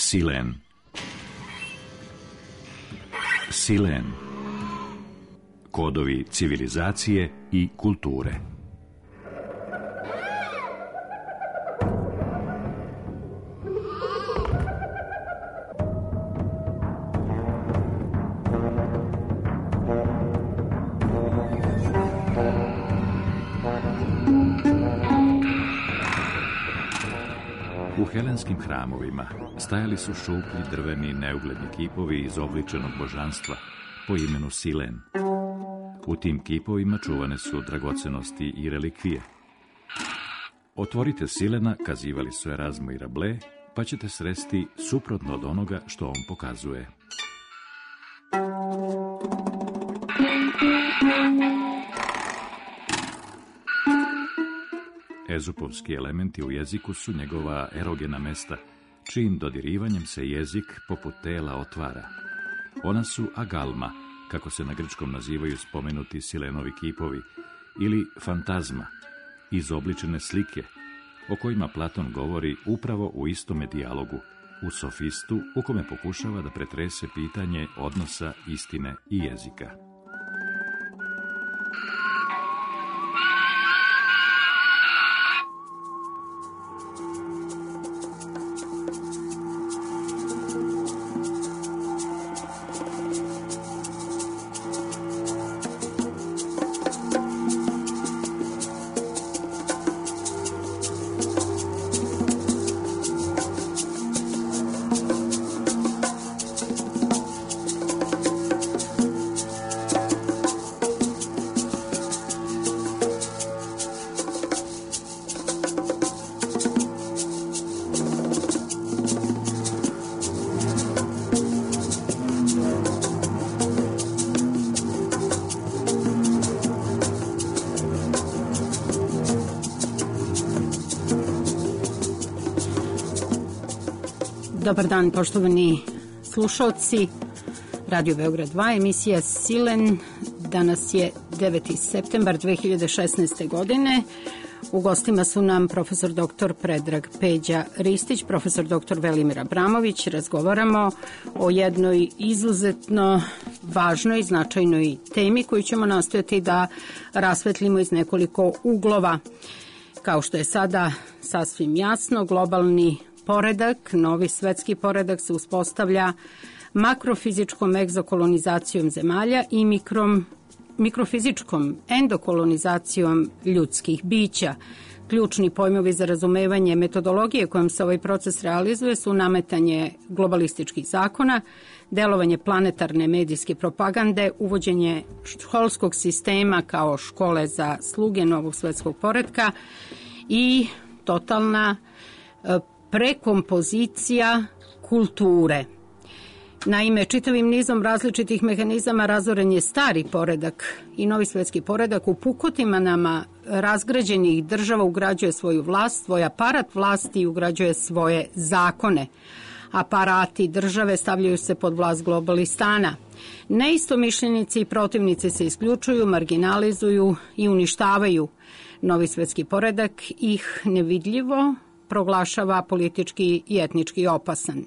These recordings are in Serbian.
Silen. Silen. Kodovi civilizacije i kulture. U helenskim hramovima stajali su šuplji drveni neugledni kipovi izobličenog božanstva po imenu Silen. U tim kipovima čuvane su dragocenosti i relikvije. Otvorite Silena, kazivali su Erazmo i Rabelais, pa ćete sresti suprotno od onoga što on pokazuje. Ezupovski elementi u jeziku su njegova erogena mesta, čijim dodirivanjem se jezik poput tela otvara. Ona su agalma, kako se na grčkom nazivaju spomenuti Silenovi kipovi, ili fantazma, izobličene slike, o kojima Platon govori upravo u istome dijalogu, u Sofistu, u kome pokušava da pretrese pitanje odnosa istine i jezika. Dobar dan, poštovani slušalci. Radio Beograd 2, emisija Silen. Danas je 9. septembar 2016. godine. U gostima su nam profesor dr. Predrag Peđa Ristić, profesor dr. Velimir Abramović. Razgovaramo o jednoj izuzetno važnoj, značajnoj temi koju ćemo nastojati da rasvetlimo iz nekoliko uglova. Kao što je sada sasvim jasno, globalni poredak, novi svetski poredak se uspostavlja makrofizičkom egzokolonizacijom zemalja i mikrofizičkom endokolonizacijom ljudskih bića. Ključni pojmovi za razumevanje metodologije kojom se ovaj proces realizuje su nametanje globalističkih zakona, delovanje planetarne medijske propagande, uvođenje školskog sistema kao škole za sluge novog svetskog poretka i totalna prekompozicija kulture. Naime, čitavim nizom različitih mehanizama razoren je stari poredak i novi svetski poredak u pukotinama razgrađenih država ugrađuje svoju vlast, svoj aparat vlasti i ugrađuje svoje zakone. Aparati države stavljaju se pod vlast globalistana. Neistomišljenici i protivnici se isključuju, marginalizuju i uništavaju. Novi svetski poredak ih nevidljivo proglašava politički i etnički opasan.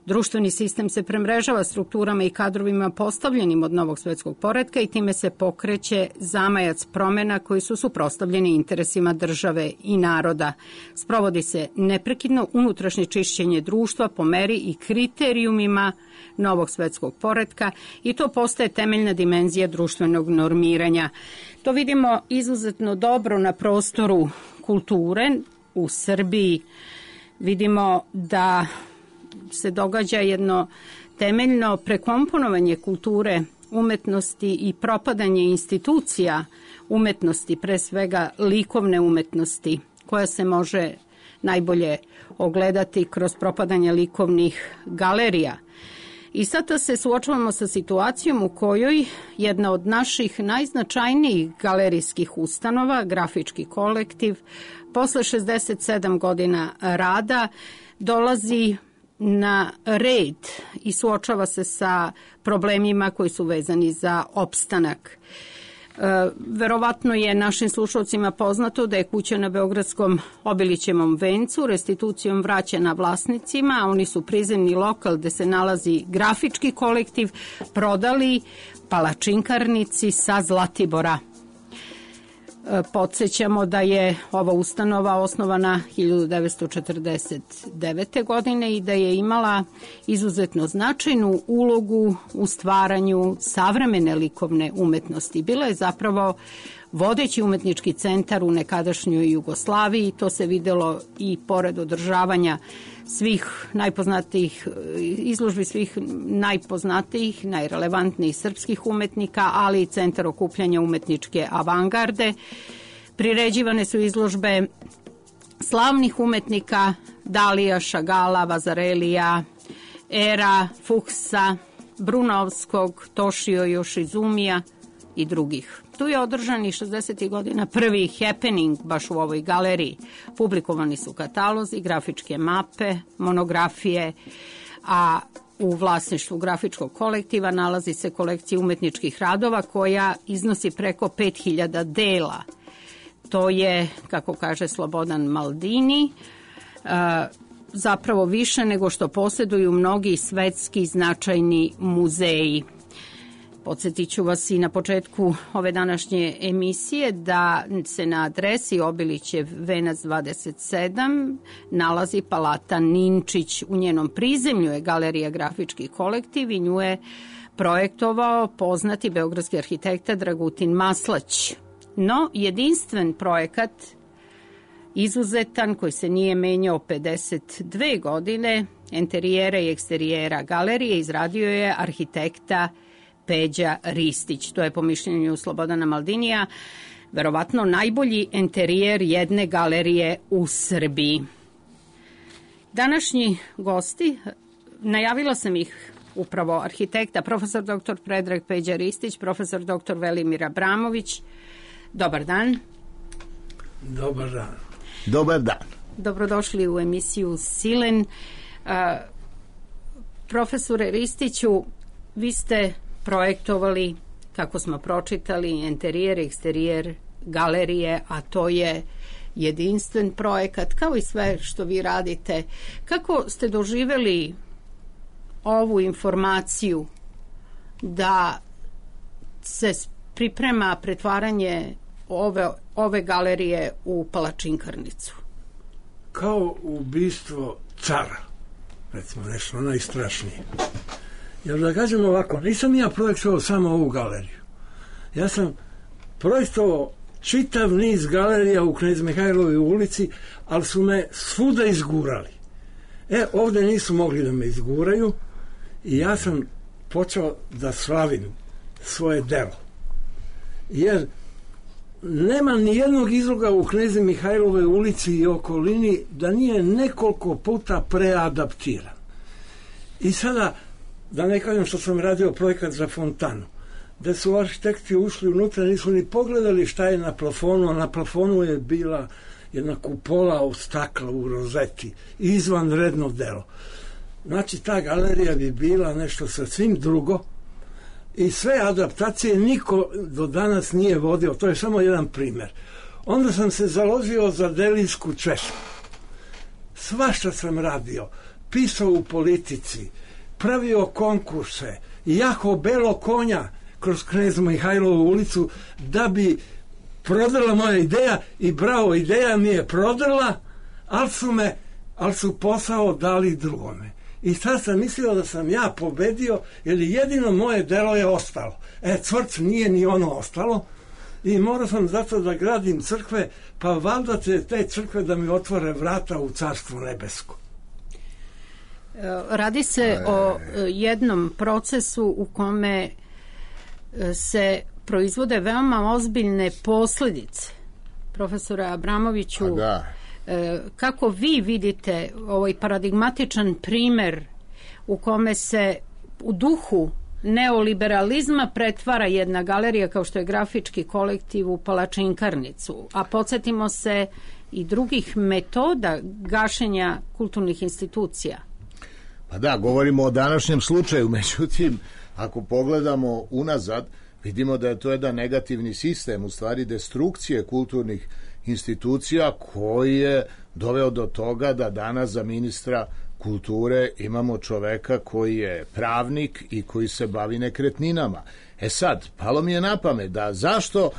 Društveni sistem se premrežava strukturama i kadrovima postavljenim od novog svetskog poretka i time se pokreće zamajac promena koji su suprotstavljeni interesima države i naroda. Sprovodi se neprekidno unutrašnje čišćenje društva po meri i kriterijumima novog svetskog poretka i to postaje temeljna dimenzija društvenog normiranja. To vidimo izuzetno dobro na prostoru kulture. U Srbiji vidimo da se događa jedno temeljno prekomponovanje kulture, umetnosti i propadanje institucija umetnosti, pre svega likovne umetnosti, koja se može najbolje ogledati kroz propadanje likovnih galerija. I sada se suočavamo sa situacijom u kojoj jedna od naših najznačajnijih galerijskih ustanova, grafički kolektiv, posle 67 godina rada dolazi na red i suočava se sa problemima koji su vezani za opstanak. Verovatno je našim slušalcima poznato da je kuća na Beogradskom Obilićevom vencu restitucijom vraćena vlasnicima, a oni su prizemni lokal gde se nalazi grafički kolektiv prodali palačinkarnici sa Zlatibora. Podsećamo da je ova ustanova osnovana 1949. godine i da je imala izuzetno značajnu ulogu u stvaranju savremene likovne umetnosti. Bila je zapravo vodeći umetnički centar u nekadašnjoj Jugoslaviji. To se videlo i pored održavanja svih najpoznatijih izložbi, svih najpoznatijih, najrelevantnijih srpskih umetnika, ali i centar okupljanja umetničke avangarde. Priređivane su izložbe slavnih umetnika Dalija, Šagala, Vazarelija, Era, Fuchsa, Brunovskog, Toshio Yoshizumija i drugih. Tu je održan i 60. godina prvi happening baš u ovoj galeriji. Publikovani su katalozi, grafičke mape, monografije, a u vlasništvu grafičkog kolektiva nalazi se kolekcija umetničkih radova koja iznosi preko 5000 dela. To je, kako kaže Slobodan Maldini, zapravo više nego što posjeduju mnogi svetski značajni muzeji. Podsjetit ću vas i na početku ove današnje emisije da se na adresi Obilićev venac 27 nalazi Palata Ninčić. U njenom prizemlju je galerija Grafički kolektiv i nju je projektovao poznati beogradski arhitekta Dragutin Maslać. No, jedinstven projekat, izuzetan, koji se nije menjao 52 godine, enterijera i eksterijera galerije izradio je arhitekta Peđa Ristić. To je po mišljenju Slobodana Maldinija verovatno najbolji enterijer jedne galerije u Srbiji. Današnji gosti, najavila sam ih upravo arhitekta, profesor dr. Predrag Peđa Ristić, profesor dr. Velimir Abramović. Dobar dan. Dobar dan. Dobar dan. Dobrodošli u emisiju Silen. Profesore Ristiću, vi ste projektovali, kako smo pročitali, enterijer, eksterijer galerije, a to je jedinstven projekat, kao i sve što vi radite. Kako ste doživjeli ovu informaciju da se priprema pretvaranje ove galerije u palačinkarnicu? Kao ubistvo cara, recimo nešto najstrašnije. Jer da kažem ovako, nisam ja projektovao samo ovu galeriju. Ja sam projektovao čitav niz galerija u Knez Mihajlovoj ulici, ali su me svuda izgurali. Ovdje nisu mogli da me izguraju i ja sam počeo da slavim svoje delo. Jer nema ni jednog izloga u Knez Mihajlovoj ulici i okolini da nije nekoliko puta preadaptiran. I sada, da ne kažem što sam radio projekat za fontanu, da su arhitekti ušli unutra, nisu ni pogledali šta je na plafonu, a na plafonu je bila jedna kupola od stakla u rozeti, izvanredno delo. Znači, ta galerija bi bila nešto sasvim drugo i sve adaptacije niko do danas nije vodio, to je samo jedan primjer. Onda sam se založio za delijsku češku. Svašta sam radio, pisao u politici, pravio konkurse, jako belo konja kroz Knez Mihajlovu ulicu da bi prodala moja ideja i bravo, ideja mi je prodala, ali su posao dali drugome. I sad sam mislio da sam ja pobedio, jer jedino moje delo je ostalo. Cvrc nije ni ono ostalo i morao sam zato da gradim crkve, pa valjda će te crkve da mi otvore vrata u Carstvo nebesko. Radi se o jednom procesu u kome se proizvode veoma ozbiljne posljedice. Profesore Abramoviću, kako vi vidite ovaj paradigmatičan primer u kome se u duhu neoliberalizma pretvara jedna galerija kao što je Grafički kolektiv u palačinkarnicu, a podsjetimo se i drugih metoda gašenja kulturnih institucija? Pa da, govorimo o današnjem slučaju, međutim, ako pogledamo unazad, Vidimo da je to jedan negativni sistem, u stvari destrukcije kulturnih institucija koji je doveo do toga da danas za ministra kulture imamo čoveka koji je pravnik i koji se bavi nekretninama. Sad, palo mi je na pamet da zašto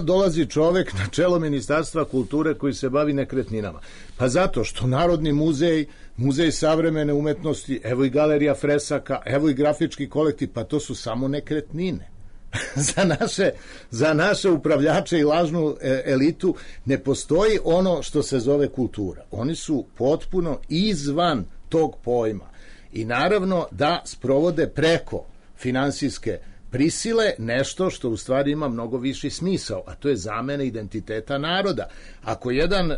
dolazi čovek na čelo Ministarstva kulture koji se bavi nekretninama? Pa zato što Narodni muzej, Muzej savremene umetnosti, evo i galerija fresaka, evo i grafički kolektiv, pa to su samo nekretnine. Za naše upravljače i lažnu elitu ne postoji ono što se zove kultura. Oni su potpuno izvan tog pojma. I naravno da sprovode preko finansijske prisile nešto što u stvari ima mnogo viši smisao, a to je zamena identiteta naroda. Ako jedan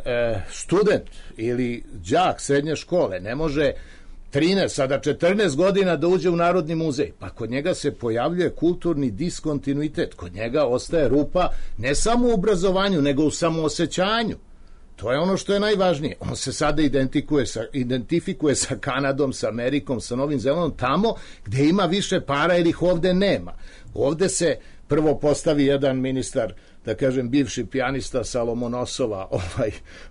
student ili đak srednje škole ne može 13, sada 14 godina da uđe u Narodni muzej, pa kod njega se pojavljuje kulturni diskontinuitet, kod njega ostaje rupa ne samo u obrazovanju, nego u samoosećanju. To je ono što je najvažnije. On se sada identifikuje sa Kanadom, sa Amerikom, sa Novim Zelandom, tamo gde ima više para jer ih ovde nema. Ovde se prvo postavi jedan ministar, da kažem, bivši pijanista sa Lomonosova,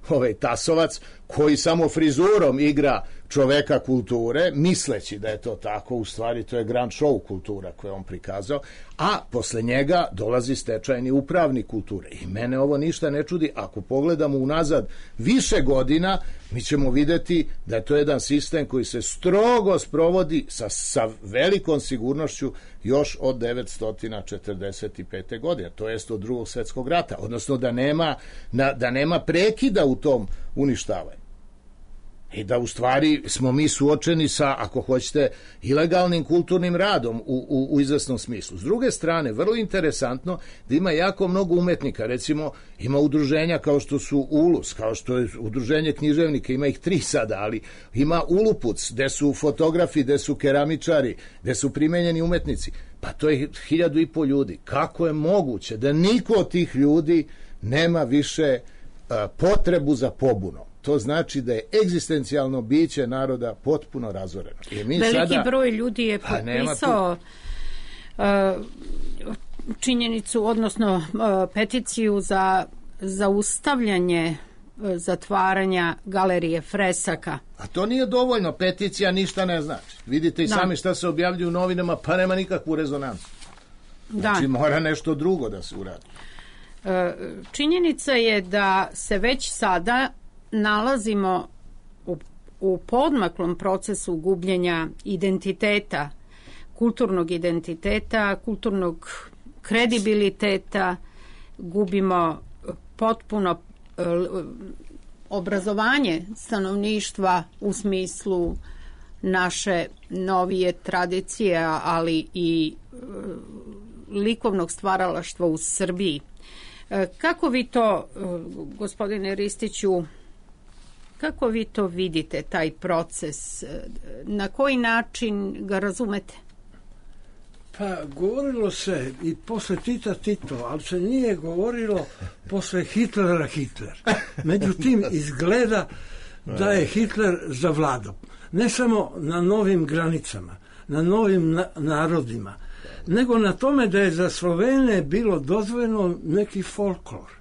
ovaj Tasovac, koji samo frizurom igra čoveka kulture, misleći da je to tako, u stvari to je grand show kultura koju on prikazao, a posle njega dolazi stečajni upravnik kulture. I mene ovo ništa ne čudi, ako pogledamo unazad više godina, mi ćemo videti da je to jedan sistem koji se strogo sprovodi sa velikom sigurnošću još od 1945. godine, to jest od Drugog svjetskog rata, odnosno da nema prekida u tom uništavanju. I da u stvari smo mi suočeni sa, ako hoćete, ilegalnim kulturnim radom u izvesnom smislu. S druge strane, vrlo interesantno da ima jako mnogo umetnika, recimo ima udruženja kao što su Ulus, kao što je udruženje književnika, ima ih 3 sada, ali ima Ulupuc, gde su fotografi, gde su keramičari, gde su primenjeni umetnici. Pa to je 1500 ljudi. Kako je moguće da niko od tih ljudi nema više potrebu za pobunom? To znači da je egzistencijalno biće naroda potpuno razoreno. Veliki broj ljudi je potpisao činjenicu, odnosno peticiju za zaustavljanje zatvaranja galerije fresaka. A to nije dovoljno, peticija ništa ne znači. Vidite i sami šta se objavljuju u novinama, pa nema nikakvu rezonancu. Znači mora nešto drugo da se uradi. Činjenica je da se već sada nalazimo u podmaklom procesu gubljenja identiteta, kulturnog kredibiliteta, gubimo potpuno obrazovanje stanovništva u smislu naše novije tradicije, ali i likovnog stvaralaštva u Srbiji. Kako vi to, gospodine Ristiću, kako vi to vidite, taj proces? Na koji način ga razumete? Pa govorilo se i posle Tita Tito, ali se nije govorilo posle Hitlera Hitler. Međutim, izgleda da je Hitler zavladao. Ne samo na novim granicama, na novim narodima, nego na tome da je za Slovene bilo dozvoljeno neki folklor.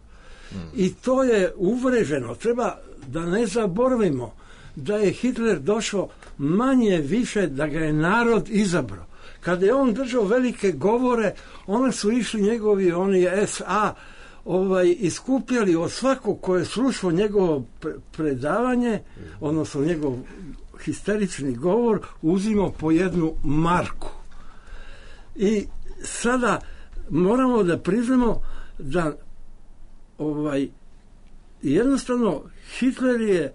I to je uvreženo. Treba da ne zaboravimo da je Hitler došao manje više da ga je narod izabrao. Kada je on držao velike govore, onda su išli njegovi SA iskupljali od svakog ko je slušao njegovo predavanje, odnosno njegov histerični govor, uzimao po 1 marku. I sada moramo da priznamo da jednostavno Hitler je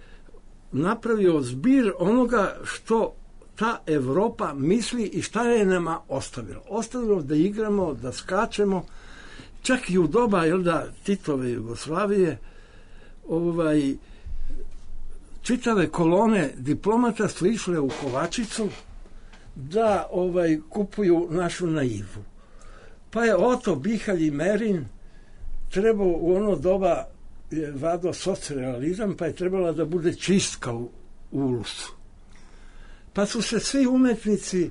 napravio zbir onoga što ta Evropa misli i šta je nama ostavilo. Ostavilo da igramo, da skačemo, čak i u doba Titove Jugoslavije, čitave kolone diplomata su išle u Kovačicu da kupuju našu naivu. Pa je Oto Bihalj i Merin trebao u ono doba je vado socrealizam, pa je trebala da bude čistka u Ulusu. Pa su se svi umetnici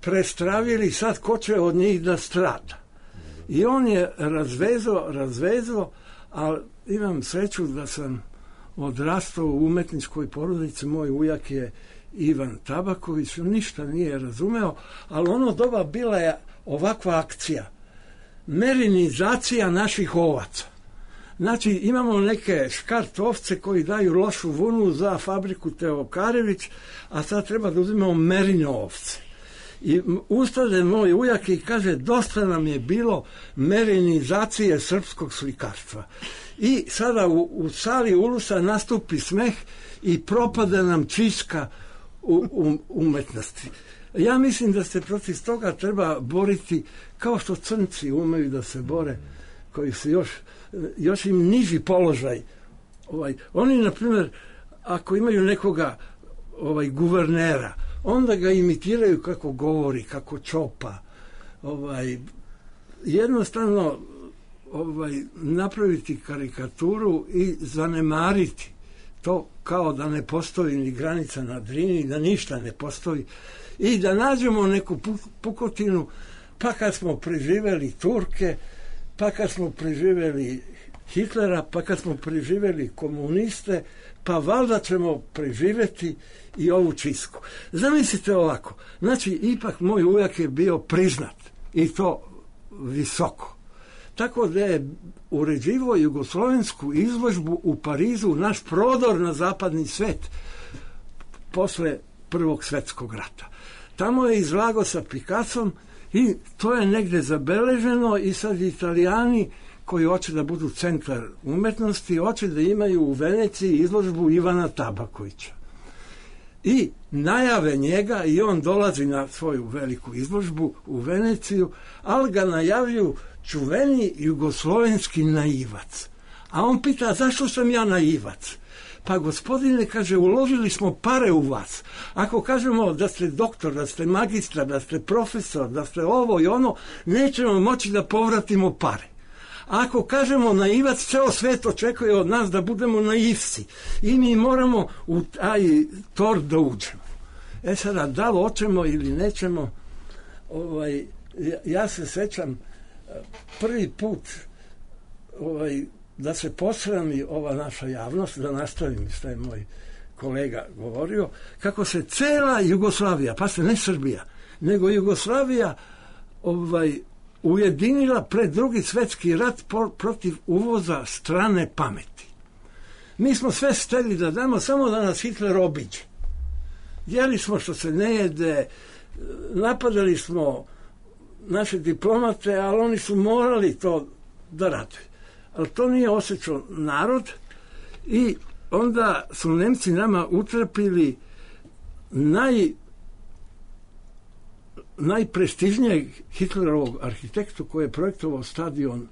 prestravili, sad ko će od njih da strada. I on je razvezao, ali imam sreću da sam odrastao u umetničkoj porodici. Moj ujak je Ivan Tabaković, ništa nije razumeo, ali ono doba bila je ovakva akcija. Merinizacija naših ovaca. Znači, imamo neke škart ovce koji daju lošu vunu za fabriku Teokarević, a sad treba da uzimamo merino ovce. I ustade moj ujak i kaže, dosta nam je bilo merinizacije srpskog slikarstva. I sada u sali Ulusa nastupi smeh i propade nam čiska umetnosti. Ja mislim da se protiv toga treba boriti kao što crnci umeju da se bore, koji su još im niži položaj. Oni, na primjer, ako imaju nekoga guvernera, onda ga imitiraju kako govori, kako čopa. Jednostavno napraviti karikaturu i zanemariti to kao da ne postoji ni granica na Drini, da ništa ne postoji i da nađemo neku pukotinu, pa kad smo preživeli Turke, pa kad smo preživeli Hitlera, pa kad smo preživeli komuniste, pa valjda ćemo preživeti i ovu čistku. Zamislite ovako, znači ipak moj ujak je bio priznat i to visoko. Tako da je uređivao jugoslovensku izložbu u Parizu, naš prodor na zapadni svet posle Prvog svjetskog rata. Tamo je izlagao sa Picassom i to je negde zabeleženo i sad Italijani koji hoće da budu centar umetnosti, hoće da imaju u Veneciji izložbu Ivana Tabakovića. I najave njega i on dolazi na svoju veliku izložbu u Veneciju, ali ga najavljuju čuveni jugoslovenski naivac. A on pita, zašto sam ja naivac? Pa gospodine, kaže, uložili smo pare u vas. Ako kažemo da ste doktor, da ste magistar, da ste profesor, da ste ovo i ono, nećemo moći da povratimo pare. A ako kažemo naivac, ceo svet očekuje od nas da budemo naivci. I mi moramo u taj tor da uđemo. Sada, da li hoćemo ili nećemo, ja se sećam prvi put da se posrami ova naša javnost, da nastavim što je moj kolega govorio, kako se cela Jugoslavija, pa se ne Srbija, nego Jugoslavija ujedinila pred Drugi svjetski rat protiv uvoza strane pameti. Mi smo sve steli da damo, samo da nas Hitler obiđe. Jeli smo što se ne jede, napadali smo naše diplomate, ali oni su morali to da rade. Ali to nije osjećao narod i onda su Nemci nama utrpili najprestižnijeg Hitlerovog arhitektu koji je projektovao stadion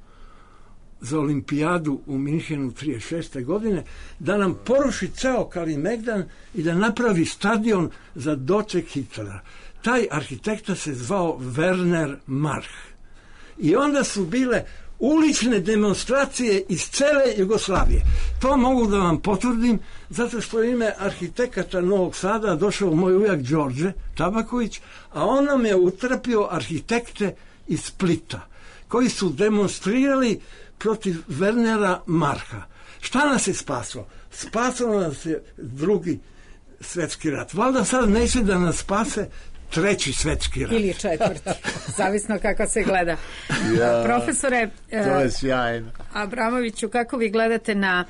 za olimpijadu u Minhenu 1936. godine, da nam poruši ceo Kalemegdan i da napravi stadion za doček Hitlera. Taj arhitekta se zvao Werner March. I onda su bile ulične demonstracije iz cele Jugoslavije. To mogu da vam potvrdim, zato što je ime arhitekata Novog Sada došao moj ujak Đorđe Tabaković, a on nam je utrpio arhitekte iz Splita, koji su demonstrirali protiv Wernera Marcha. Šta nas je spasilo? Spasilo nas je Drugi svjetski rat. Valjda sad neće da nas spase Treći svjetski rat. Ili četvrti, zavisno kako se gleda. Profesore, to je sjajno. Abramoviću, kako vi gledate na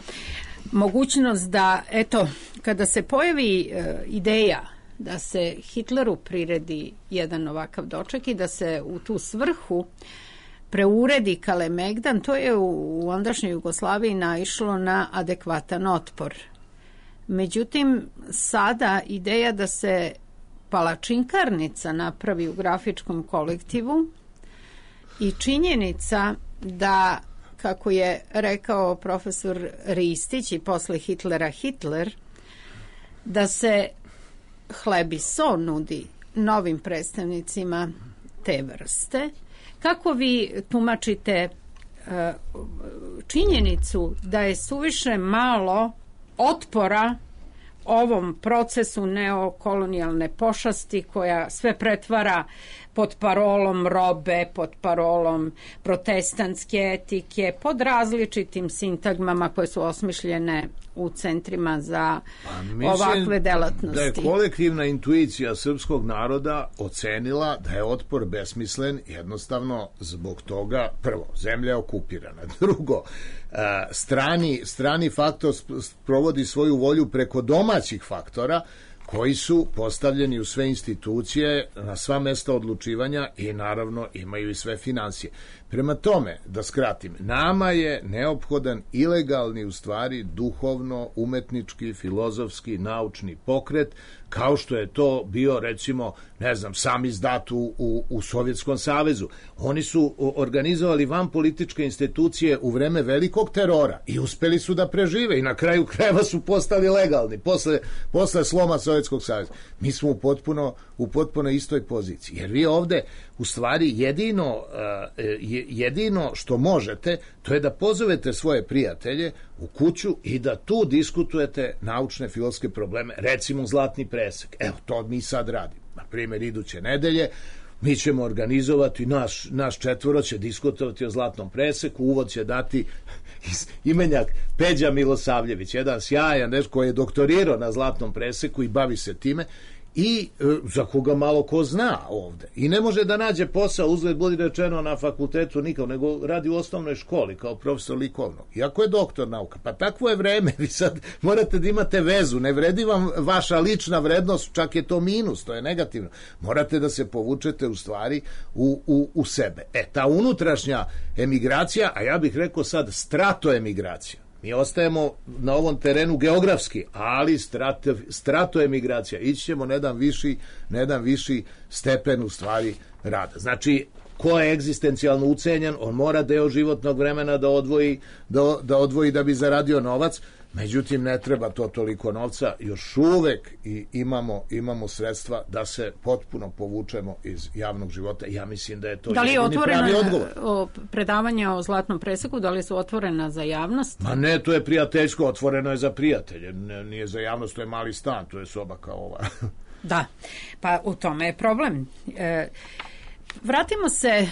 mogućnost da, eto, kada se pojavi ideja da se Hitleru priredi jedan ovakav doček i da se u tu svrhu preuredi Kalemegdan, to je u ondašnjoj Jugoslaviji naišlo na adekvatan otpor. Međutim, sada ideja da se palačinkarnica napravi u grafičkom kolektivu i činjenica da, kako je rekao profesor Ristić i posle Hitlera Hitler, da se hleb i so nudi novim predstavnicima te vrste. Kako vi tumačite činjenicu da je suviše malo otpora ovom procesu neokolonijalne pošasti koja sve pretvara pod parolom robe, pod parolom protestantske etike, pod različitim sintagmama koje su osmišljene u centrima za ovakve delatnosti. Da je kolektivna intuicija srpskog naroda ocenila da je otpor besmislen jednostavno zbog toga, prvo, zemlja je okupirana, drugo, strani faktor provodi svoju volju preko domaćih faktora koji su postavljeni u sve institucije, na sva mesta odlučivanja i naravno imaju i sve financije. Prema tome, da skratim, nama je neophodan ilegalni, u stvari, duhovno, umetnički, filozofski, naučni pokret, kao što je to bio, recimo, ne znam, sam izdat u Sovjetskom savezu. Oni su organizovali vanpolitičke institucije u vreme velikog terora i uspeli su da prežive i na kraju krajeva su postali legalni posle sloma Sovjetskog saveza. Mi smo u potpuno istoj poziciji, jer vi ovde u stvari jedino što možete, to je da pozovete svoje prijatelje u kuću i da tu diskutujete naučne filozofske probleme, recimo zlatni presek. Evo, to mi sad radimo. Na primjer, iduće nedelje mi ćemo organizovati, naš četvoro će diskutovati o zlatnom preseku, uvod će dati imenjak Peđa Milosavljević, jedan sjajan koji je doktorirao na zlatnom preseku i bavi se time, i za koga malo ko zna ovde. I ne može da nađe posao, uzgled budi rečeno, na fakultetu nikao, nego radi u osnovnoj školi kao profesor likovnog. Iako je doktor nauka. Pa takvo je vreme, vi sad morate da imate vezu, ne vredi vam vaša lična vrednost, čak je to minus, to je negativno. Morate da se povučete u stvari u sebe. Ta unutrašnja emigracija, a ja bih rekao sad stratoemigracija. Mi ostajemo na ovom terenu geografski, ali stratoemigracija. Ići ćemo na jedan viši stepen u stvari rada. Znači, ko je egzistencijalno ucenjen, on mora deo životnog vremena da odvoji da bi zaradio novac. Međutim, ne treba to toliko novca, još uvek imamo sredstva da se potpuno povučemo iz javnog života. Ja mislim da je to jedini pravi odgovor. Da li je otvoreno predavanje o zlatnom preseku, da li su otvorena za javnost? Ma ne, to je prijateljsko, otvoreno je za prijatelje, nije za javnost, to je mali stan, to je soba kao ova. Da, pa u tome je problem. Vratimo se,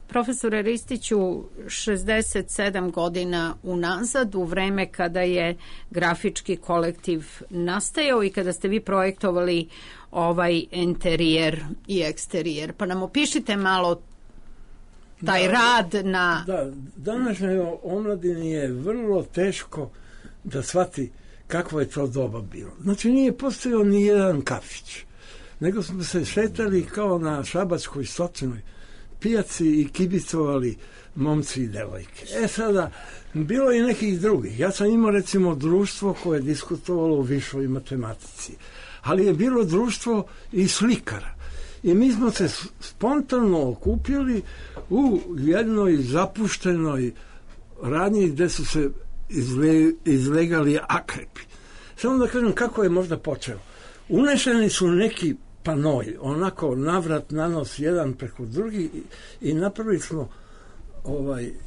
profesore Ristiću, 67 godina unazad, u vreme kada je grafički kolektiv nastajao i kada ste vi projektovali ovaj interijer i eksterijer. Pa nam opišite malo taj rad na... Da, današnjoj omladini je vrlo teško da shvati kakvo je to doba bilo. Znači, nije postojao ni jedan kafić, nego smo se šetali kao na šabačkoj stočnoj pijaci i kibicovali momci i devojke. Sada, bilo je nekih drugih. Ja sam imao, recimo, društvo koje je diskutovalo u višoj matematici, ali je bilo društvo i slikara. I mi smo se spontano okupili u jednoj zapuštenoj radnji gde su se izlegali akrepi. Samo da kažem kako je možda počeo. Unešeni su neki panoj, onako navrat na nos jedan preko drugi i napravili smo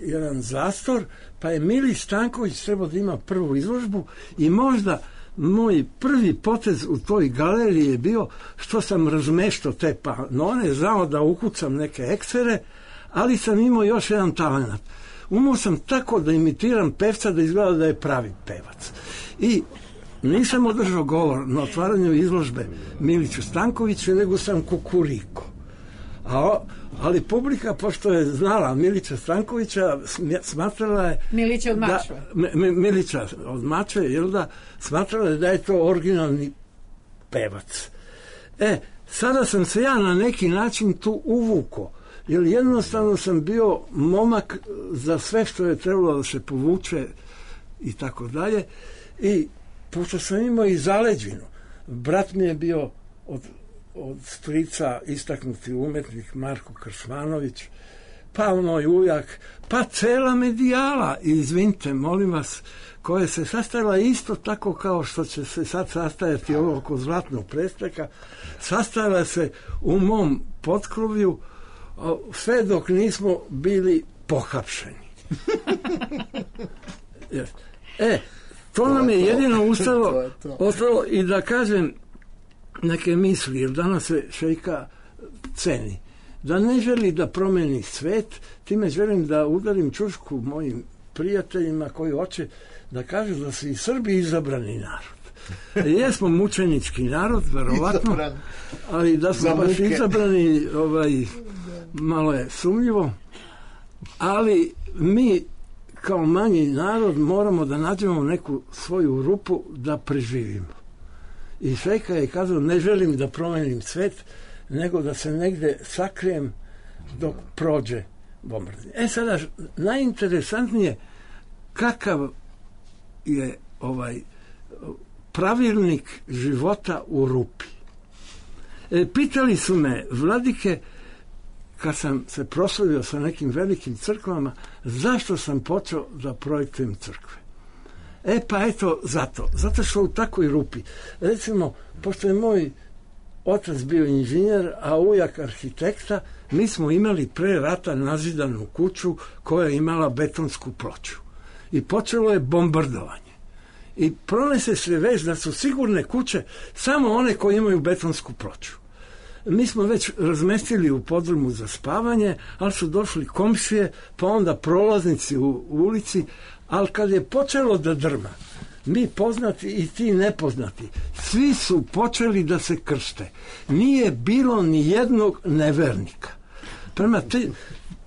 jedan zastor, pa je Mili Stanković trebao da ima prvu izložbu i možda moj prvi potez u toj galeriji je bio što sam razmeštao te panone, znao da ukucam neke eksere, ali sam imao još jedan talent. Umao sam tako da imitiram pevca da izgleda da je pravi pevac. I nisam održao govor na otvaranju izložbe Miliću Stankoviću, nego sam kukuriko. Ali publika, pošto je znala Milića Stankovića, smatrala je... Milića od Mačve. Milića od Mačve, jel da, smatrala je da je to originalni pevac. Sada sam se ja na neki način tu uvukao, jer jednostavno sam bio momak za sve što je trebalo da se povuče i tako dalje. I pošto sam imao i zaleđinu, brat mi je bio od strica istaknuti umetnik Marko Kršmanović, pa moj ujak, pa cela medijala, izvinite, molim vas, koja se sastajala isto tako kao što će se sad sastajati ovo oko zlatnog presteka, sastajala se u mom potkrovlju sve dok nismo bili pohapšeni. To nam je jedino ostalo i da kažem neke misli, jer danas se šejka ceni. da ne želi da promeni svet, time želim da udarim čušku mojim prijateljima koji hoće da kažu da su i Srbi izabrani narod. Jesmo mučenički narod, verovatno, ali da smo baš izabrani, malo je sumnjivo, ali mi kao manji narod moramo da nađemo neku svoju rupu da preživimo. I Švejka je kazao, ne želim da promenim svet, nego da se negde sakrijem dok prođe bombardovanje. Sada, najinteresantnije kakav je pravilnik života u rupi. Pitali su me vladike, kad sam se proslavio sa nekim velikim crkvama, zašto sam počeo da projektujem crkve. Pa eto, zato što u takvoj rupi. Recimo, pošto je moj otac bio inženjer, a ujak arhitekta, mi smo imali pre rata nazidanu kuću koja je imala betonsku ploču. I počelo je bombardovanje. I pronese se vest da su sigurne kuće samo one koje imaju betonsku ploču. Mi smo već razmestili u podrumu za spavanje, ali su došli komšije, pa onda prolaznici u ulici, ali kad je počelo da drma, mi poznati i ti nepoznati, svi su počeli da se krste. Nije bilo ni jednog nevernika.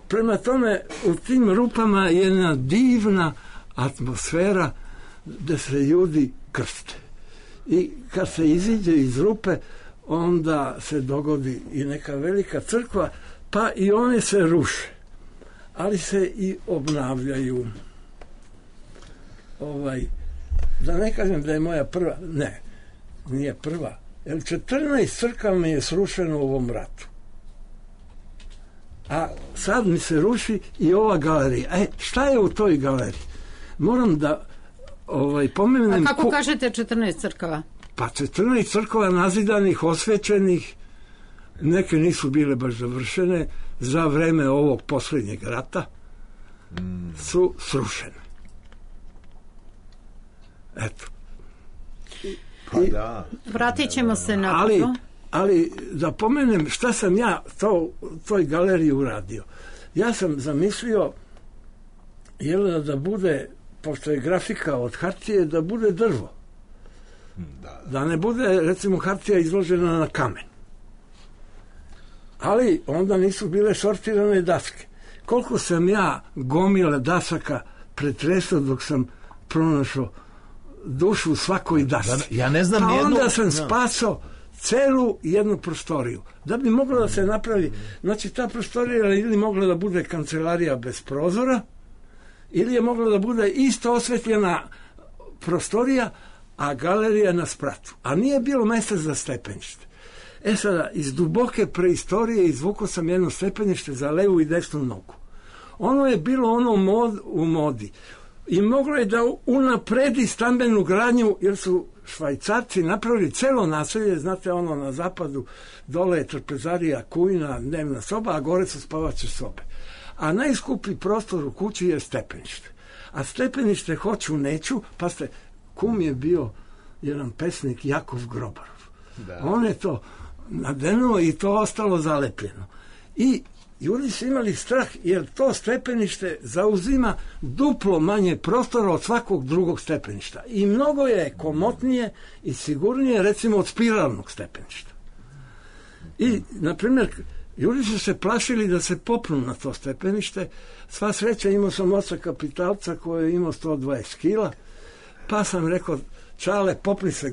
Prema tome, u tim rupama je jedna divna atmosfera da se ljudi krste. I kad se iziđe iz rupe, onda se dogodi i neka velika crkva, pa i one se ruše. Ali se i obnavljaju. Da ne kažem da je moja prva, ne, nije prva, jer 14 crkava mi je srušeno u ovom ratu. A sad mi se ruši i ova galerija. Šta je u toj galeriji? Moram da pomenem... A kako kažete 14 crkava? Pa 14 crkava nazidanih, osvećenih, neke nisu bile baš završene, za vreme ovog posljednjeg rata su srušene. Eto. Pa da. Vratit ćemo se na to. Ali da pomenem šta sam ja toj galeriji uradio. Ja sam zamislio da bude, pošto je grafika od hartije, da bude drvo. Da ne bude, recimo, hartija izložena na kamen. Ali onda nisu bile sortirane daske. Koliko sam ja gomile dasaka pretresao dok sam pronašao dušu u svakoj dasci. Ja ne znam pa onda sam spasao celu jednu prostoriju. Da bi moglo da se napravi, znači ta prostorija ili mogla da bude kancelarija bez prozora, ili je mogla da bude isto osvetljena prostorija, a galerija na spratu. A nije bilo mjesta za stepenište. Sada, iz duboke preistorije izvukao sam jedno stepenište za levu i desnu nogu. Ono je bilo u modi. I moglo je da unapredi stambenu gradnju, jer su Švajcarci napravili celo naselje, znate, ono na zapadu, dole je trpezarija, kujna, dnevna soba, a gore su spavače sobe. A najskuplji prostor u kući je stepenište. A stepenište hoću, neću, pa kum je bio jedan pesnik Jakov Grobarov. Da. On je to nadenuo i to ostalo zalepljeno. I ljudi su imali strah, jer to stepenište zauzima duplo manje prostora od svakog drugog stepeništa. I mnogo je komotnije i sigurnije, recimo, od spiralnog stepeništa. I, na primjer, ljudi su se plašili da se popnu na to stepenište. Sva sreća, imao sam oca kapitalca koji je imao 120 kila, pa sam rekao, Čale, popni se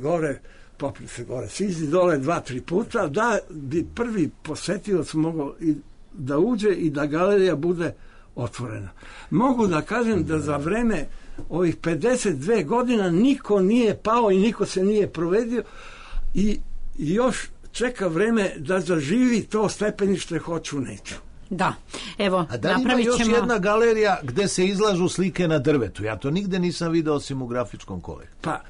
gore, siđi dole 2-3 puta, da bi prvi posetilac mogao da uđe i da galerija bude otvorena. Mogu da kažem da za vreme ovih 52 godina niko nije pao i niko se nije provedio i još čeka vreme da zaživi to stepenište hoću neću. Da, evo, a da li ima još jedna galerija gde se izlažu slike na drvetu? Ja to nigde nisam video osim u grafičkom kolektivu. Pa,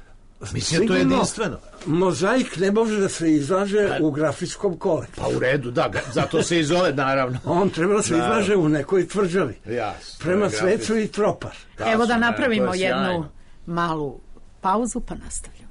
mislim, to je jedinstveno. Mozaik ne može da se izlaže u grafičkom kolektivu. Pa u redu, da, zato se i zove, naravno. On treba da se izlaže u nekoj tvrđavi. Jasno. Prema svecu i tropar. Evo da napravimo jednu malu pauzu, pa nastavljamo.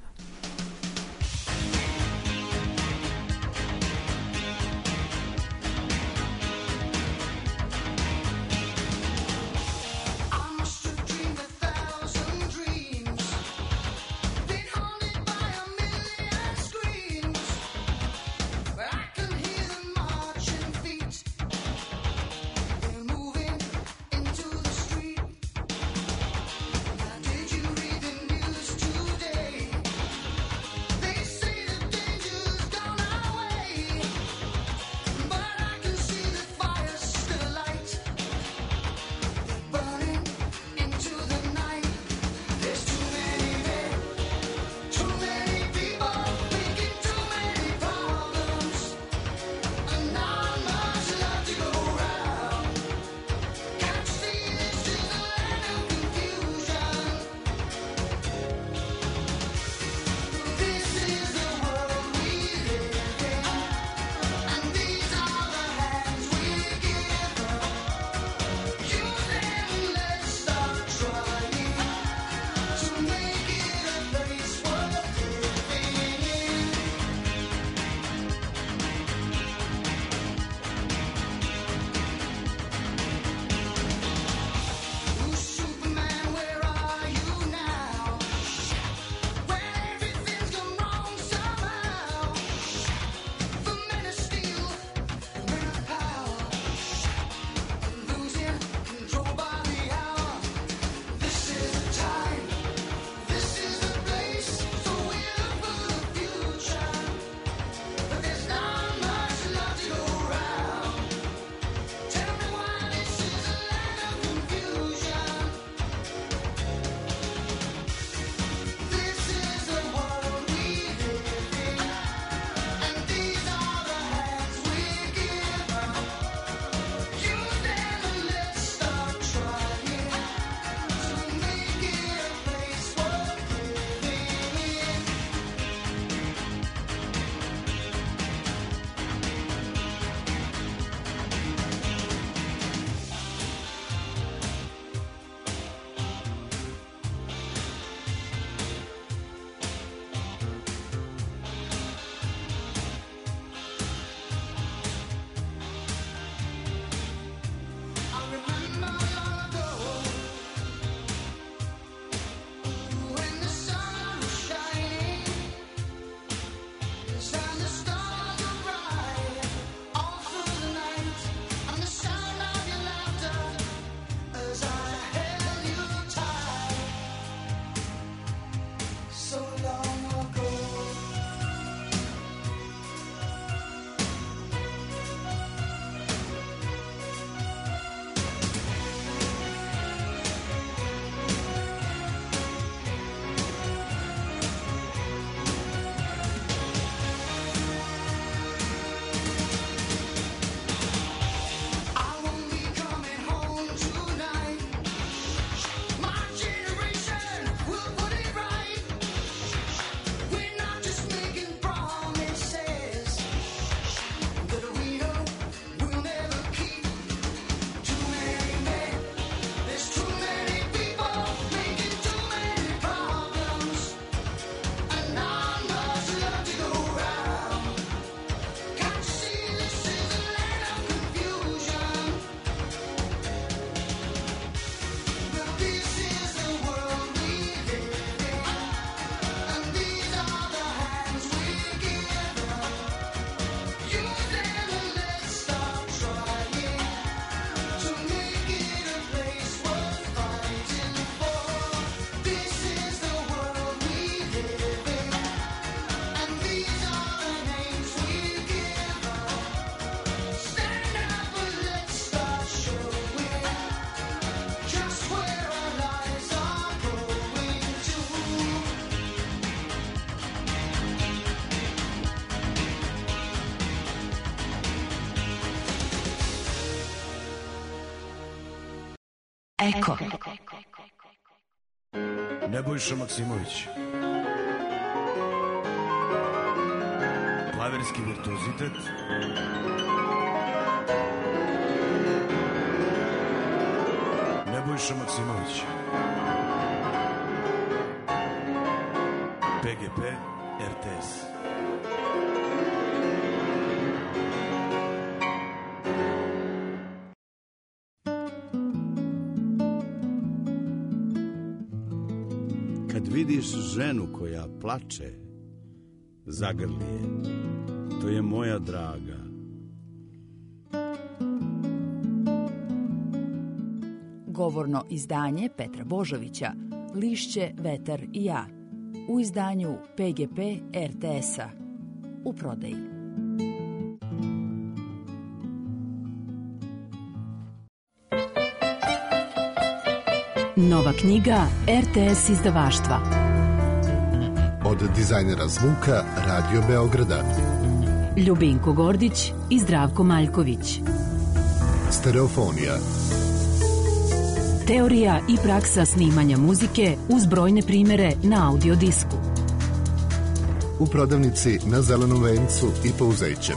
Eko. Nebojša Maksimović. Klavirski virtuozitet. Nebojša Maksimović. PGP RTS. Kad vidiš ženu koja plače, zagrli je. To je moja draga. Govorno izdanje Petra Božovića, Lišće, vetar i ja. U izdanju PGP RTS-a. U prodaji. Nova knjiga RTS izdavaštva. Od dizajnera zvuka Radio Beograda. Ljubinko Gordić i Zdravko Maljković. Stereofonija. Teorija i praksa snimanja muzike uz brojne primere na audio disku. U prodavnici na Zelenom vencu i Pouzeće.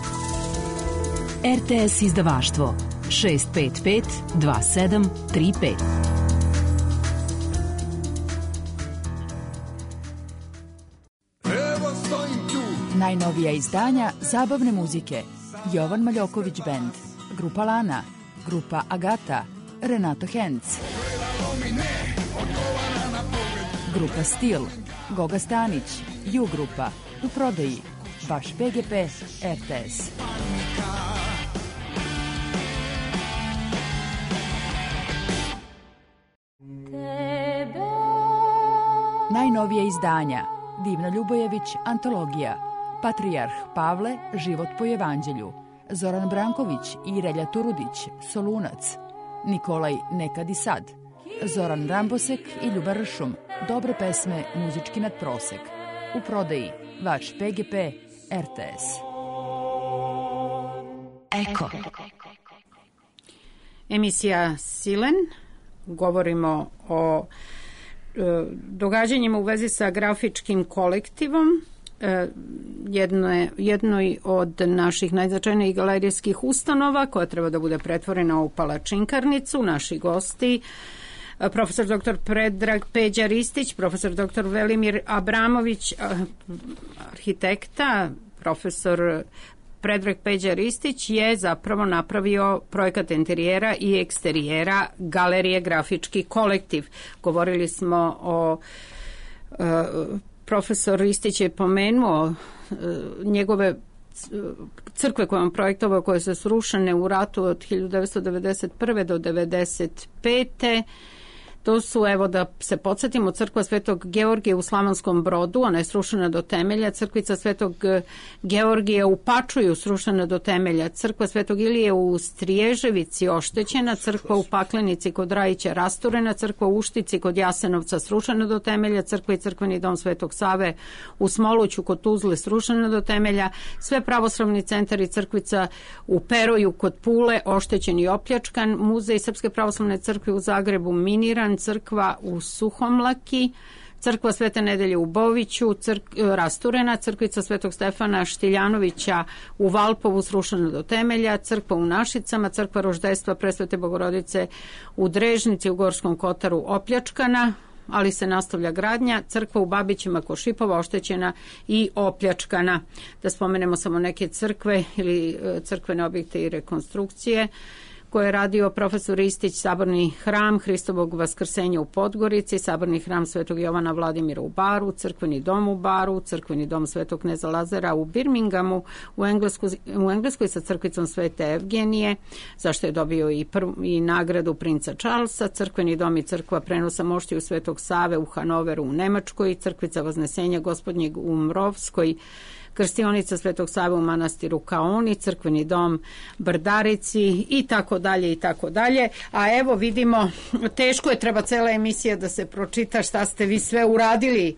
RTS izdavaštvo 655 2735. Najnovija izdanja zabavne muzike. Jovan Maljoković Band, grupa Lana, grupa Agata, Renato Henc, grupa Stil, Goga Stanić, Ju grupa, u prodaji, vaš PGP RTS. Najnovija izdanja. Divna Ljubojević, antologija. Patrijarh Pavle, život po evanđelju. Zoran Branković i Relja Turudić, Solunac. Nikolaj Nekad i sad. Zoran Rambosek i Ljuba Ršum, dobre pesme, muzički nadprosek. U prodaji, vaš PGP RTS. Eko. Emisija Silen. Govorimo o događanjima u vezi sa grafičkim kolektivom, jednoj od naših najznačajnijih galerijskih ustanova koja treba da bude pretvorena u palačinkarnicu. Naši gosti, profesor dr. Predrag Peđa Ristić, profesor dr. Velimir Abramović, arhitekta. Profesor Predrag Peđa Ristić je zapravo napravio projekat interijera i eksterijera galerije Grafički kolektiv. Govorili smo o profesor Ristić je pomenuo njegove crkve koje on projektovao, koje su srušene u ratu od 1991. do 1995. To su, evo da se podsjetimo, crkva Svetog Georgija u Slavonskom Brodu, ona je srušena do temelja, crkvica Svetog Georgija u Pačuju srušena do temelja, crkva Svetog Ilije u Striježevici oštećena, crkva u Paklenici kod Rajića rasturena, crkva u Uštici kod Jasenovca srušena do temelja, crkva i crkveni dom Svetog Save u Smoluću kod Tuzle srušena do temelja, sve pravoslavni centar i crkvica u Peroju kod Pule oštećen i opljačkan, muzej Srpske pravoslavne crkve u Zagrebu miniran, crkva u Suhomlaki, crkva Svete Nedelje u Boviću rasturena, crkvica Svetog Stefana Štiljanovića u Valpovu srušena do temelja, crkva u Našicama, crkva Roždejstva Presvete Bogorodice u Drežnici u Gorskom Kotaru opljačkana, ali se nastavlja gradnja, crkva u Babićima kod Šipova oštećena i opljačkana. Da spomenemo samo neke crkve ili crkvene objekte i rekonstrukcije koje je radio profesor Ristić, Saborni hram Hristovog vaskrsenja u Podgorici, Saborni hram Svetog Jovana Vladimira u Baru, crkveni dom u Baru, crkveni dom Svetog kneza Lazara u Birminghamu, u Engleskoj sa crkvicom Svete Evgenije, zašto je dobio i nagradu princa Charlesa, crkveni dom i crkva prenosa moštiju Svetog Save u Hanoveru u Nemačkoj, crkvica Vaznesenja Gospodnjeg u Mrovskoj, krstionica Svetog Save u manastiru Kaoni, crkveni dom Brdarici i tako dalje i tako dalje. A evo vidimo, teško je, treba cela emisija da se pročita šta ste vi sve uradili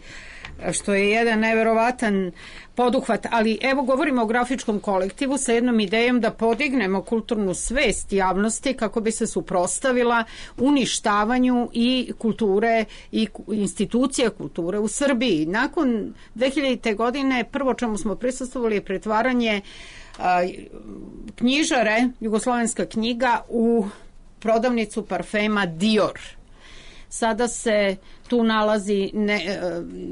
što je jedan neverovatan poduhvat, ali evo govorimo o grafičkom kolektivu sa jednom idejom da podignemo kulturnu svest javnosti kako bi se suprotstavila uništavanju i kulture i institucija kulture u Srbiji. Nakon 2000. godine prvo čemu smo prisustvovali je pretvaranje knjižare, Jugoslovenska knjiga, u prodavnicu parfema Dior. Sada se tu nalazi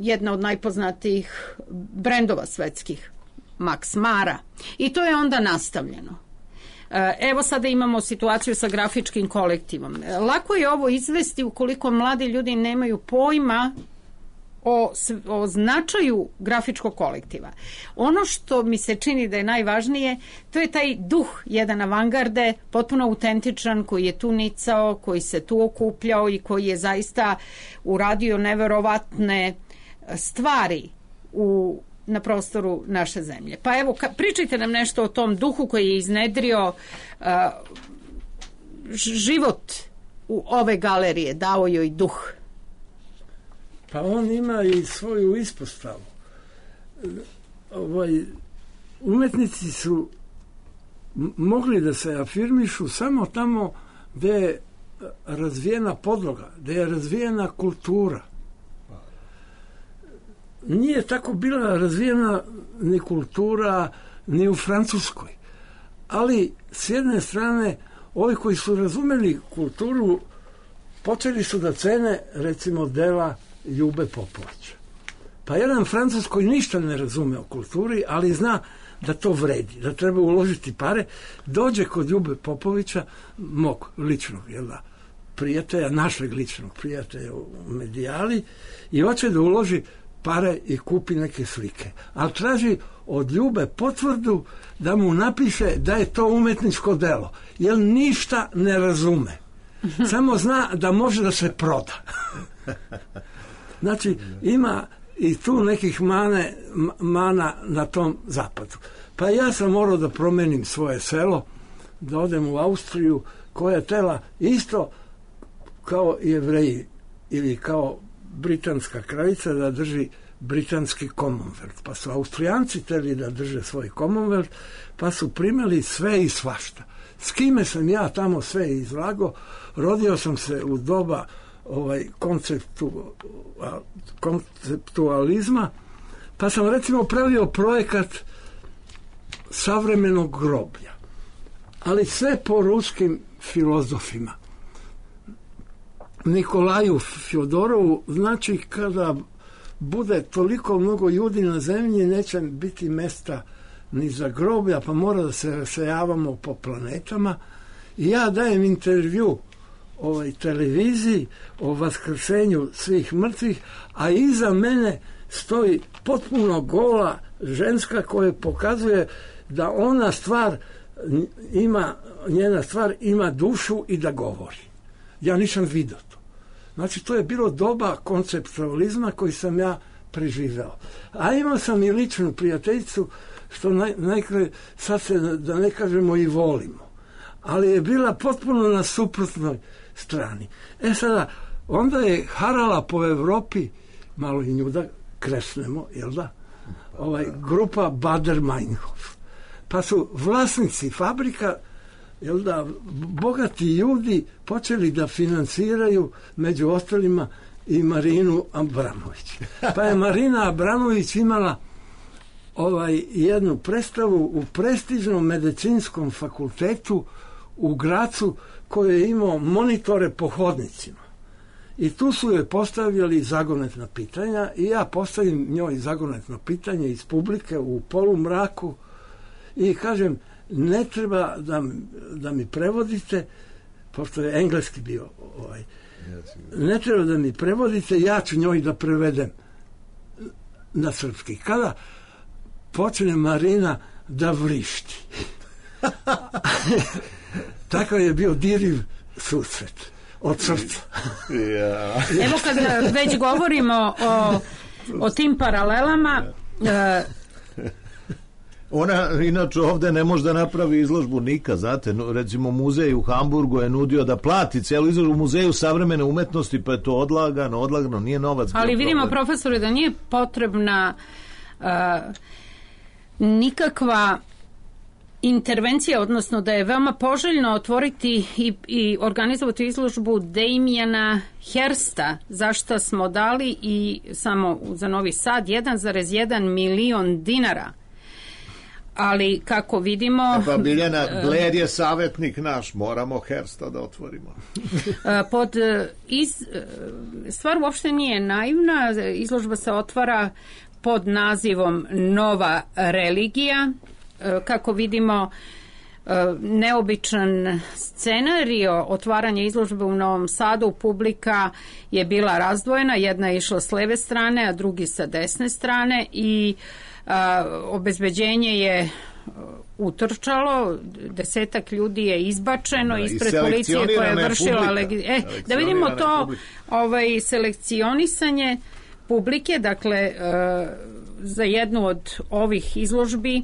jedna od najpoznatijih brendova svetskih, Max Mara. I to je onda nastavljeno. Evo sada imamo situaciju sa grafičkim kolektivom. Lako je ovo izvesti ukoliko mladi ljudi nemaju pojma o značaju grafičkog kolektiva. Ono što mi se čini da je najvažnije, to je taj duh jedan avangarde, potpuno autentičan, koji je tu nicao, koji se tu okupljao i koji je zaista uradio neverovatne stvari na prostoru naše zemlje. Pa evo, pričajte nam nešto o tom duhu koji je iznedrio život u ove galerije, dao joj duh. Pa on ima i svoju ispostavu. Umetnici su mogli da se afirmišu samo tamo gde je razvijena podloga, gde je razvijena kultura. Nije tako bila razvijena ni kultura ni u Francuskoj. Ali s jedne strane, ovi koji su razumeli kulturu počeli su da cene, recimo, dela Ljube Popovića. Pa jedan Francuz koji ništa ne razume o kulturi, ali zna da to vredi, da treba uložiti pare, dođe kod Ljube Popovića, mog ličnog prijatelja, našeg ličnog prijatelja u Medijali, i hoće da uloži pare i kupi neke slike. Ali traži od Ljube potvrdu da mu napiše da je to umetničko delo, jer ništa ne razume. Samo zna da može da se proda. Znači, ima i tu nekih mana na tom zapadu. Pa ja sam morao da promenim svoje selo, da odem u Austriju, koja je tela isto kao Jevreji ili kao britanska kraljica da drži britanski Commonwealth. Pa su Austrijanci teli da drže svoj Commonwealth, pa su primili sve i svašta. S kime sam ja tamo sve izlagao? Rodio sam se u doba konceptualizma, pa sam recimo pravio projekat savremenog groblja, ali sve po ruskim filozofima. Nikolaju Fjodorovu, znači kada bude toliko mnogo ljudi na zemlji, neće biti mesta ni za groblja, pa mora da se rasejavamo po planetama. I ja dajem intervju televiziji o vaskrsenju svih mrtvih, a iza mene stoji potpuno gola ženska koja pokazuje da njena stvar ima dušu i da govori. Ja nisam vidio to. Znači, to je bilo doba konceptualizma koji sam ja preživeo. A imao sam i ličnu prijateljicu, što sad se, da ne kažemo, i volimo. Ali je bila potpuno na suprotnoj strani. Sada, onda je harala po Evropi, malo i nju da kresnemo, jel da? Grupa Bader-Meinhof. Pa su vlasnici fabrika, jel da, bogati ljudi počeli da finansiraju, među ostalima, i Marinu Abramović. Pa je Marina Abramović imala jednu predstavu u prestižnom medicinskom fakultetu u Gracu, koji je imao monitore po hodnicima. I tu su joj postavljali zagonetna pitanja i ja postavim njoj zagonetno pitanje iz publike u polumraku i kažem, ne treba da mi prevodite, pošto je engleski bio ne treba da mi prevodite, ja ću njoj da prevedem na srpski. Kada počne Marina da vrišti. Takav je bio diriv susret od srca. Evo kad već govorimo o tim paralelama, Ona inače ovde ne može da napravi izložbu nikad, znate, recimo muzej u Hamburgu je nudio da plati celu izložbu u muzeju savremene umetnosti, pa je to odlagano, nije novac. Ali vidimo, profesore, da nije potrebna nikakva intervencija, odnosno da je veoma poželjno otvoriti i organizovati izložbu Damiana Hirsta, za što smo dali i samo za Novi Sad 1,1 milion dinara. Ali kako vidimo... Pa Biljana, Blair je savjetnik naš, moramo Hirsta da otvorimo. Stvar uopšte nije naivna, izložba se otvara pod nazivom Nova religija. Kako vidimo, neobičan scenario otvaranja izložbe u Novom Sadu, publika je bila razdvojena, jedna je išla s leve strane, a drugi sa desne strane i obezbeđenje je utrčalo, 10 ljudi je izbačeno ispred policije koja je vršila da vidimo to selekcionisanje publike. Dakle, za jednu od ovih izložbi,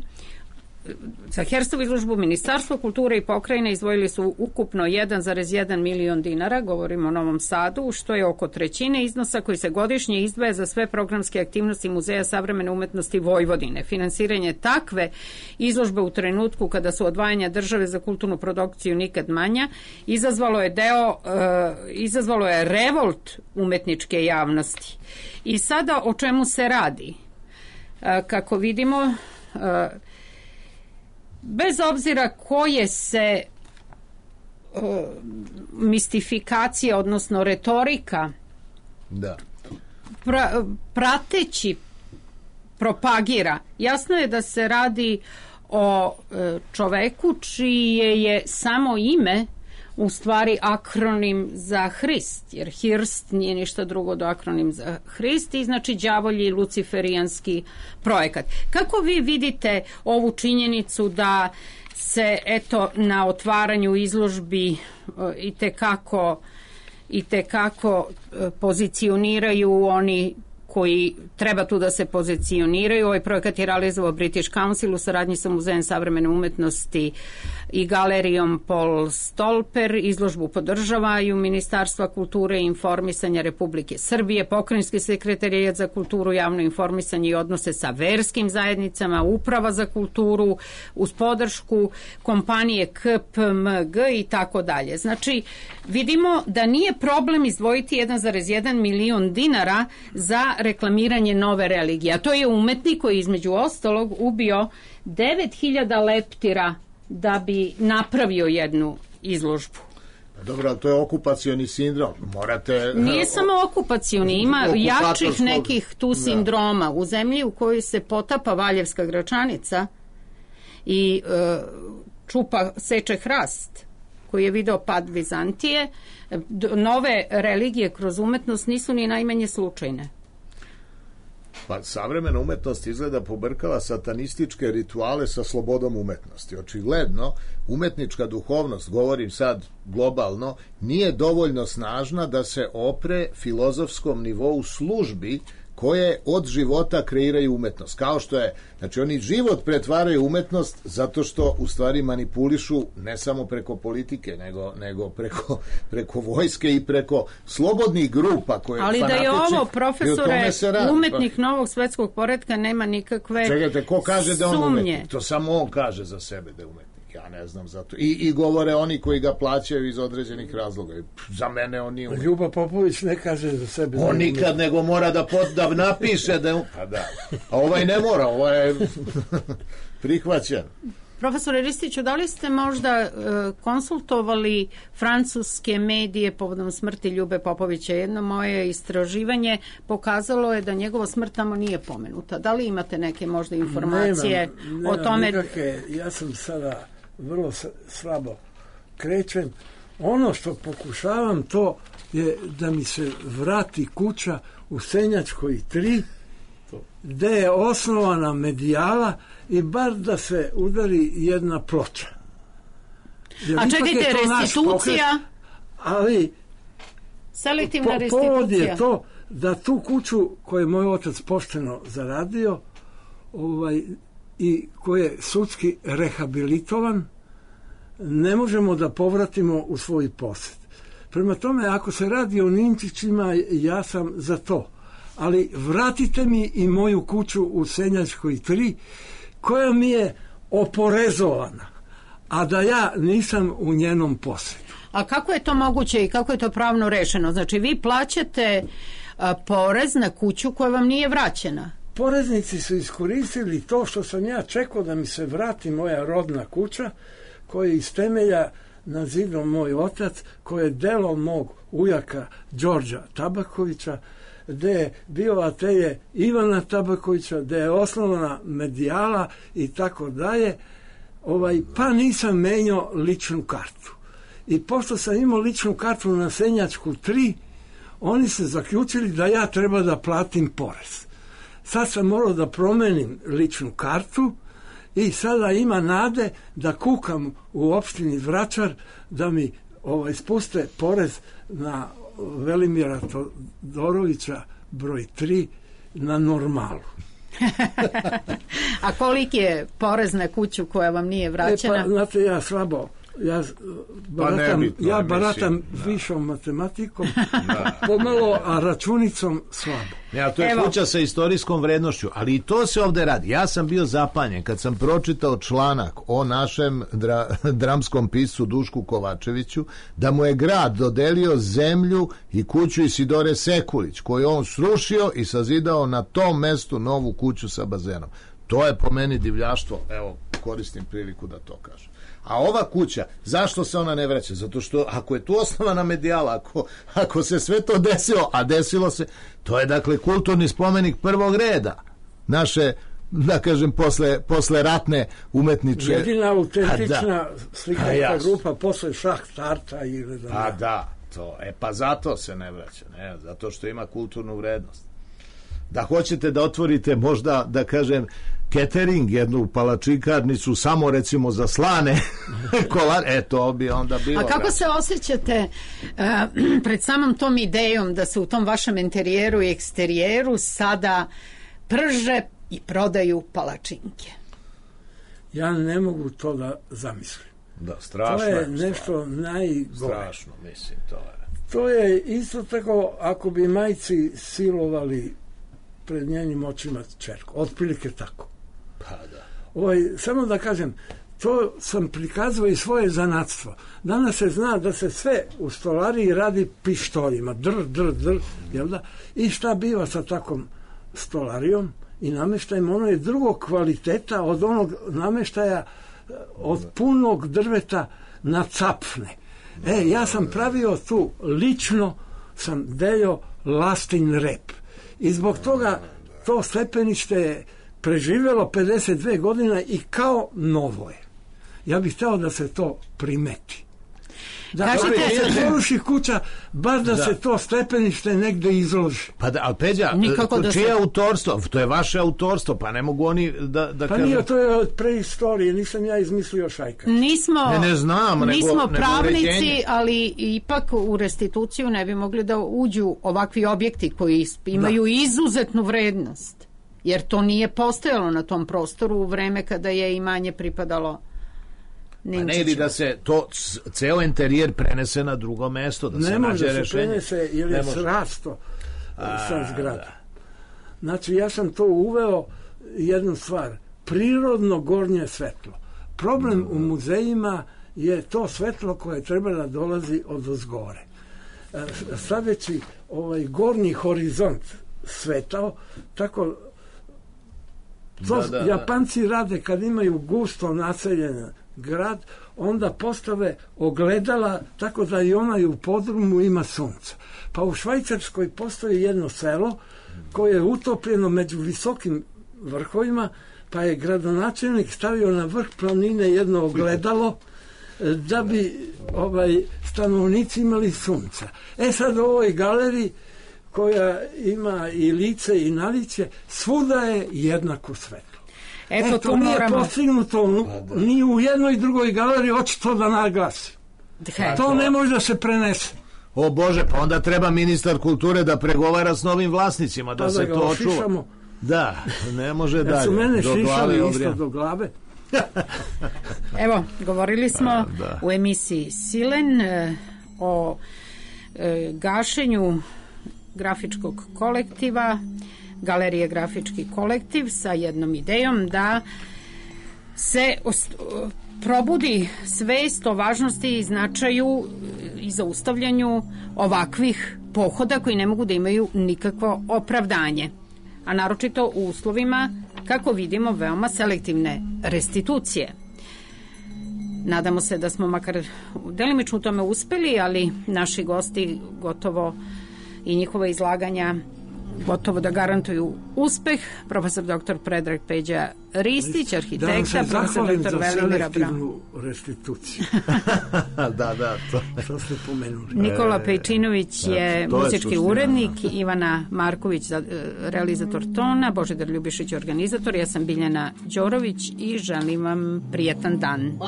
za Hirstovu izložbu, Ministarstvo kulture i pokrajine izdvojili su ukupno 1,1 milion dinara, govorimo o Novom Sadu, što je oko trećine iznosa koji se godišnje izdvaja za sve programske aktivnosti Muzeja savremene umetnosti Vojvodine. Finansiranje takve izložbe u trenutku kada su odvajanja države za kulturnu produkciju nikad manja, izazvalo je revolt umetničke javnosti. I sada o čemu se radi? Kako vidimo, bez obzira koje se mistifikacija, odnosno retorika prateći propagira, jasno je da se radi o čoveku čije je samo ime u stvari akronim za Hrist, jer Hirst nije ništa drugo do akronim za Hrist i znači đavolji luciferijanski projekat. Kako vi vidite ovu činjenicu da se na otvaranju izložbi i te kako pozicioniraju oni koji treba tu da se pozicioniraju? Ovaj projekat je realizovao British Council u saradnji sa Muzejem savremene umetnosti i galerijom Paul Stolper. Izložbu podržavaju Ministarstva kulture i informisanja Republike Srbije, Pokrajinski sekretarijat za kulturu, javno informisanje i odnose sa verskim zajednicama, Uprava za kulturu, uz podršku kompanije KPMG i tako dalje. Znači, vidimo da nije problem izdvojiti 1,1 milion dinara za reklamiranje nove religije. A to je umetnik koji između ostalog ubio 9000 leptira da bi napravio jednu izložbu. Dobro, ali to je okupacioni sindrom. Nije samo okupacioni, ima jačih nekih tu sindroma. U zemlji u kojoj se potapa Valjevska Gračanica i seče hrast, koji je video pad Vizantije, nove religije kroz umetnost nisu ni najmanje slučajne. Pa savremena umetnost izgleda pobrkala satanističke rituale sa slobodom umetnosti. Očigledno, umetnička duhovnost, govorim sad globalno, nije dovoljno snažna da se opre filozofskom nivou službi koje od života kreiraju umetnost. Kao što je, znači oni život pretvaraju umetnost zato što u stvari manipulišu ne samo preko politike, nego preko vojske i preko slobodnih grupa koje ali da je ovo, profesore, umetnik novog svetskog poretka, nema nikakve Čekajte, ko kaže da on umetnik? To samo on kaže za sebe da je umetnik. Ja ne znam zato. I govore oni koji ga plaćaju iz određenih razloga. Za mene on nije umetnik. Ljuba Popović ne kaže za sebe. On nikad nego mora da napiše da je... Pa da. A ovaj ne mora, ovaj je prihvaćen. Profesore Ristiću, da li ste možda konsultovali francuske medije povodom smrti Ljube Popovića? Jedno moje istraživanje pokazalo je da njegova smrt tamo nije pomenuta. Da li imate neke možda informacije o tome? Nikakve, ja sam sada vrlo slabo krećem. Ono što pokušavam to je da mi se vrati kuća u Senjačkoj 3, gde je osnovana medijala i bar da se udari jedna ploča. A čekajte, restitucija? Ali selektivna restitucija. Povod je to da tu kuću koju je moj otac pošteno zaradio, i koji je sudski rehabilitovan, ne možemo da povratimo u svoj posjed. Prema tome, ako se radi o Ninčićima, ja sam za to. Ali vratite mi i moju kuću u Senjačkoj 3, koja mi je oporezovana, a da ja nisam u njenom posjedu. A kako je to moguće i kako je to pravno rešeno? Znači, vi plaćate porez na kuću koja vam nije vraćena. Poreznici su iskoristili to što sam ja čekao da mi se vrati moja rodna kuća, koja je iz temelja nazidao moj otac, koje je delo mog ujaka Đorđa Tabakovića, gde je bio atelje Ivana Tabakovića, gde je osnovana Medijala i tako dalje, pa nisam menjao ličnu kartu. I pošto sam imao ličnu kartu na Senjačku 3, oni se zaključili da ja treba da platim porez. Sad sam morao da promenim ličnu kartu i sada ima nade da kukam u opštini Vračar da mi spuste porez na Velimira Todorovića broj 3 na normalu. A koliki je porez na kuću koja vam nije vraćena? Pa, znate, ja slabo, ja baratam višom matematikom, pomalo, a računicom slabo. Ja, to je kuća sa istorijskom vrednošću, ali i to se ovde radi. Ja sam bio zapanjen kad sam pročitao članak o našem dramskom piscu Dušku Kovačeviću, da mu je grad dodelio zemlju i kuću Isidore Sekulić, koju on srušio i sazidao na tom mestu novu kuću sa bazenom. To je po meni divljaštvo, evo, koristim priliku da to kažem. A ova kuća, zašto se ona ne vraća? Zato što ako je tu osnovana Medijala, ako se sve to desilo, a desilo se, to je dakle kulturni spomenik prvog reda naše, da kažem, posle ratne umetničke. Jedina autentična slikarska grupa posle Šah Tarta ili da, to, pa zato se ne vraća, ne, zato što ima kulturnu vrednost. Da hoćete da otvorite možda, da kažem, catering, jednu palačikarnicu samo recimo za slane kolare, to bi onda bilo. A kako se osjećate pred samom tom idejom da se u tom vašem interijeru i eksterijeru sada prže i prodaju palačinke? Ja ne mogu to da zamislim. Da, strašno. To je nešto najgore. Strašno, mislim, to je. To je isto tako ako bi majci silovali pred njenim očima ćerku. Otprilike tako. Pa da. Samo da kažem, to sam prikazao i svoje zanatstvo. Danas se zna da se sve u stolariji radi pištoljima. Jel da? I šta biva sa takvom stolarijom i nameštajem? Ono je drugog kvaliteta od onog nameštaja od punog drveta na capfne. Ja sam pravio tu, lično sam delio lastin rep. I zbog toga to stepenište je preživjelo 52 godina i kao novo je. Ja bih htio da se to primeti. Da se poruši kuća, bar da se to stepenište negde izloži. Pa da, ali Peđa, čije autorstvo? To je vaše autorstvo, pa ne mogu oni da pa kažem... nije, to je od preistorije, nisam ja izmislio Šajkač. Nismo pravnici, ali ipak u restituciju ne bi mogli da uđu ovakvi objekti koji imaju izuzetnu vrednost. Jer to nije postojalo na tom prostoru u vreme kada je imanje pripadalo Ninčićima. Pa ne ili da se to ceo interijer prenese na drugo mesto, da se nađe rešenje. Ne može se prenese jer je srasto sa zgrada. Znači ja sam to uveo jednu stvar, prirodno gornje svetlo. Problem u muzejima je to svetlo koje treba da dolazi od ozgore. Sadeći gornji horizont svetao, tako to Japanci rade kad imaju gusto naseljen grad, onda postave ogledala tako da i onaj u podrumu ima sunca. Pa u Švajcarskoj postoji jedno selo koje je utopljeno među visokim vrhovima, pa je gradonačelnik stavio na vrh planine jedno ogledalo da bi stanovnici imali sunca. Sad u ovoj galeriji koja ima i lice i naličje, svuda je jednako svetlo. To nije postignuto ni u jednoj drugoj galeriji, hoće to da naglasi. To ne može da se prenese. O Bože, pa onda treba ministar kulture da pregovara s novim vlasnicima, da se to očuva. Da, ne može dalje. Da su mene do šišali isto do glave. Evo, govorili smo u emisiji Silen o gašenju grafičkog kolektiva, Galerije Grafički kolektiv, sa jednom idejom da se probudi svest o važnosti i značaju i zaustavljanju ovakvih pohoda koji ne mogu da imaju nikakvo opravdanje, a naročito u uslovima, kako vidimo, veoma selektivne restitucije. Nadamo se da smo makar delimično u tome uspeli, ali naši gosti gotovo i njihova izlaganja gotovo da garantuju uspeh. Profesor dr. Predrag Peđa Ristić, arhitekta, profesor dr. Velimira Braun. Restituciju. Da, to ste pomenuli. Nikola Pejčinović je muzički urednik, Ivana Marković realizator tona, Božidar Ljubišić organizator, ja sam Biljana Đorović i želim vam prijetan dan.